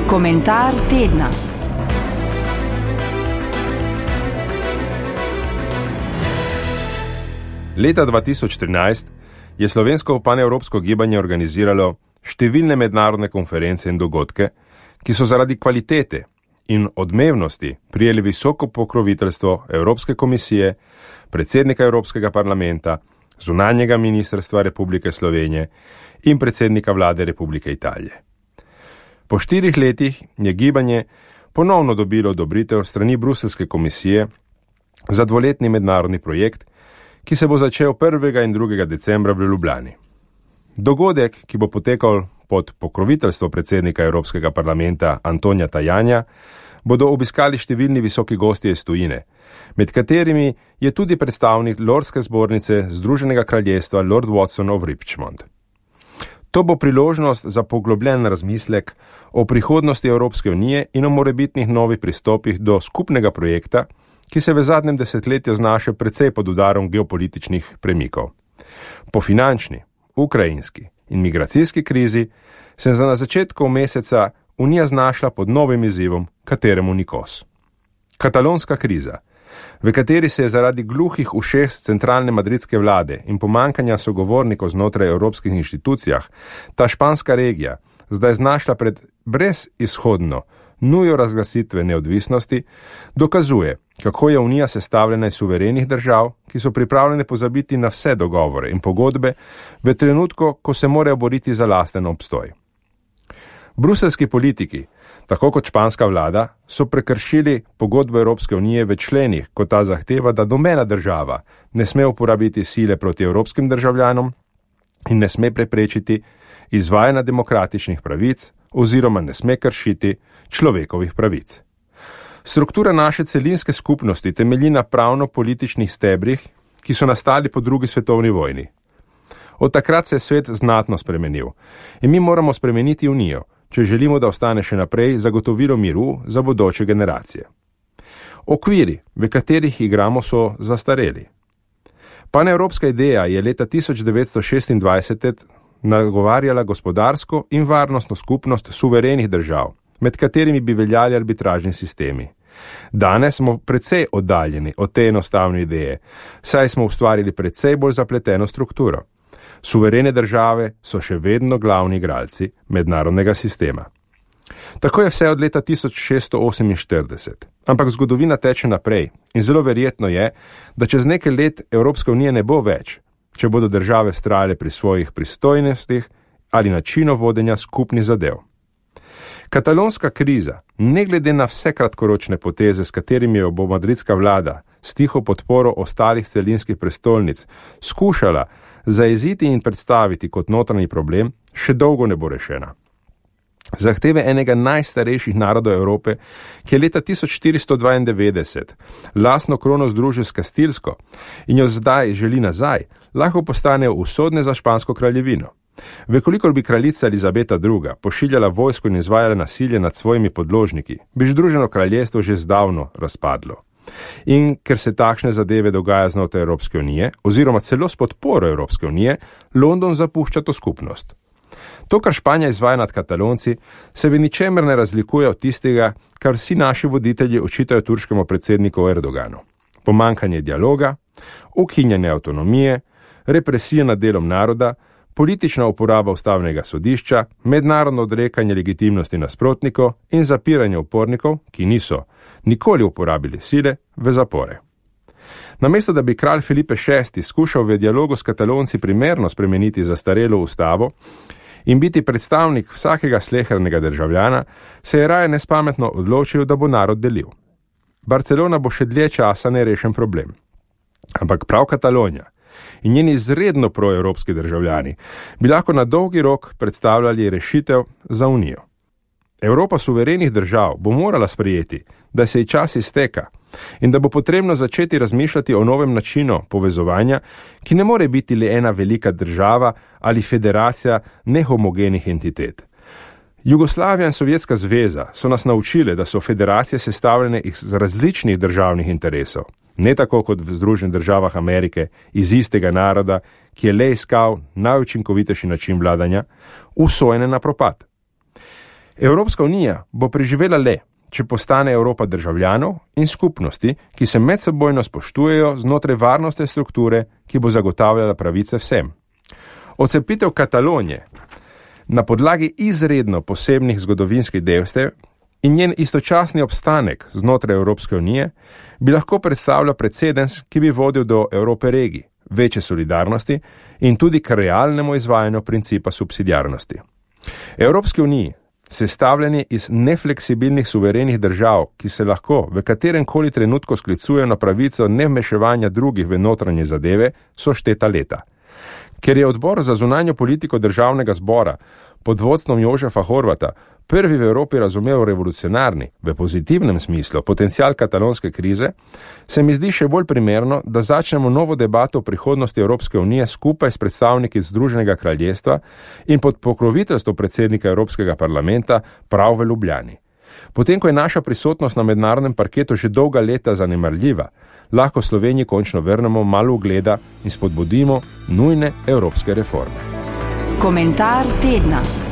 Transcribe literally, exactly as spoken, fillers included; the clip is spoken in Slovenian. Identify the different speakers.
Speaker 1: Komentar tedna.
Speaker 2: Leta dva tisoč trinajst je slovensko panevropsko gibanje organiziralo številne mednarodne konference in dogodke, ki so zaradi kvalitete in odmevnosti prijeli visoko pokroviteljstvo Evropske komisije, predsednika Evropskega parlamenta, zunanjega ministrstva Republike Slovenije in predsednika vlade Republike Italije. Po štirih letih je gibanje ponovno dobilo odobritev strani Bruselske komisije za dvoletni mednarodni projekt, ki se bo začel prvega in drugega decembra v Ljubljani. Dogodek, ki bo potekal pod pokroviteljstvo predsednika Evropskega parlamenta Antonija Tajanja, bodo obiskali številni visoki gostje iz tujine, med katerimi je tudi predstavnik Lordske zbornice Združenega kraljestva Lord Watson of Richmond. To bo priložnost za poglobljen razmislek o prihodnosti Evropske unije in o morebitnih novih pristopih do skupnega projekta, ki se v zadnjem desetletju znaša precej pod udarom geopolitičnih premikov. Po finančni, ukrajinski in migracijski krizi se je na začetku meseca Unija znašla pod novim izzivom, kateremu ni kos. Katalonska kriza, v kateri se je zaradi gluhih ušes centralne madridske vlade in pomankanja sogovornikov znotraj evropskih inštitucijah, ta španska regija zdaj znašla pred brezizhodno nujo razglasitve neodvisnosti, dokazuje, kako je Unija sestavljena iz suverenih držav, ki so pripravljene pozabiti na vse dogovore in pogodbe v trenutku, ko se morajo boriti za lasten obstoj. Bruselski politiki, tako kot španska vlada, so prekršili pogodbo Evropske unije v členih, ko ta zahteva, da nobena država ne sme uporabiti sile proti evropskim državljanom in ne sme preprečiti izvajanja demokratičnih pravic oziroma ne sme kršiti človekovih pravic. Struktura naše celinske skupnosti temelji na pravno-političnih stebrih, ki so nastali po drugi svetovni vojni. Od takrat se je svet znatno spremenil in mi moramo spremeniti Unijo, če želimo, da ostane še naprej zagotovilo miru za bodoče generacije. Okviri, v katerih igramo, so zastareli. Panevropska ideja je leta tisoč devetsto šestindvajset nagovarjala gospodarsko in varnostno skupnost suverenih držav, med katerimi bi veljali arbitražni sistemi. Danes smo precej oddaljeni od te enostavne ideje, saj smo ustvarili precej bolj zapleteno strukturo. Suverene države so še vedno glavni igralci mednarodnega sistema. Tako je vse od leta tisoč šeststo oseminštirideset, ampak zgodovina teče naprej in zelo verjetno je, da čez nekaj let Evropska unija ne bo več, če bodo države vztrajale pri svojih pristojnostih ali načinu vodenja skupnih zadev. Katalonska kriza, ne glede na vse kratkoročne poteze, s katerimi jo bo madridska vlada s tiho podporo ostalih celinskih prestolnic skušala zajeziti in predstaviti kot notranji problem, še dolgo ne bo rešena. Zahteve enega najstarejših narodov Evrope, ki je leta tisoč štiristo dvaindevetdeset lastno krono združil s Kastilsko in jo zdaj želi nazaj, lahko postanejo usodne za špansko kraljevino. Vekolikor bi kraljica Elizabeta druga pošiljala vojsko in izvajala nasilje nad svojimi podložniki, bi Združeno kraljestvo že zdavno razpadlo. In ker se takšne zadeve dogaja znotraj Evropske unije, oziroma celo s podporo Evropske unije, London zapušča to skupnost. To, kar Španija izvaja nad Katalonci, se v ničemer ne razlikuje od tistega, kar vsi naši voditelji očitajo turškemu predsedniku Erdoganu. Pomankanje dialoga, ukinjanje avtonomije, represija nad delom naroda, politična uporaba ustavnega sodišča, mednarodno odrekanje legitimnosti nasprotnikov in zapiranje upornikov, ki niso nikoli uporabili sile, v zapore. Namesto da bi kralj Felipe šesti skušal v dialogu s Katalonci primerno spremeniti zastarelo ustavo in biti predstavnik vsakega slehernega državljana, se je raje nespametno odločil, da bo narod delil. Barcelona bo še dlje časa nerešen problem. Ampak prav Katalonija in njeni izredno proevropski državljani bi lahko na dolgi rok predstavljali rešitev za Unijo. Evropa suverenih držav bo morala sprejeti, da se ji čas izteka in da bo potrebno začeti razmišljati o novem načinu povezovanja, ki ne more biti le ena velika država ali federacija nehomogenih entitet. Jugoslavija in Sovjetska zveza so nas naučile, da so federacije sestavljene iz različnih državnih interesov, ne tako kot v Združenih državah Amerike iz istega naroda, ki je le iskal najučinkovitejši način vladanja, usojene na propad. Evropska unija bo preživela le, če postane Evropa državljanov in skupnosti, ki se medsebojno spoštujejo znotraj varnostne strukture, ki bo zagotavljala pravice vsem. Odcepitev Katalonije na podlagi izredno posebnih zgodovinskih dejstev in njen istočasni obstanek znotraj Evropske unije bi lahko predstavljal precedens, ki bi vodil do Evrope regij, večje solidarnosti in tudi k realnemu izvajanju principa subsidiarnosti. Evropski uniji, sestavljeni iz nefleksibilnih suverenih držav, ki se lahko v katerem koli trenutku sklicujejo na pravico nevmeševanja drugih v notranje zadeve, so šteta leta. Ker je odbor za zunanjo politiko državnega zbora pod vodstvom Jožefa Horvata prvi v Evropi razumel revolucionarni, v pozitivnem smislu, potencial katalonske krize, se mi zdi še bolj primerno, da začnemo novo debato o prihodnosti Evropske unije skupaj s predstavniki Združenega kraljestva in pod pokroviteljstvo predsednika Evropskega parlamenta prav v Ljubljani. Potem, ko je naša prisotnost na mednarodnem parketu že dolga leta zanemarljiva, lahko Sloveniji končno vrnemo malo ugleda in spodbudimo nujne evropske reforme.
Speaker 1: Komentar tedna.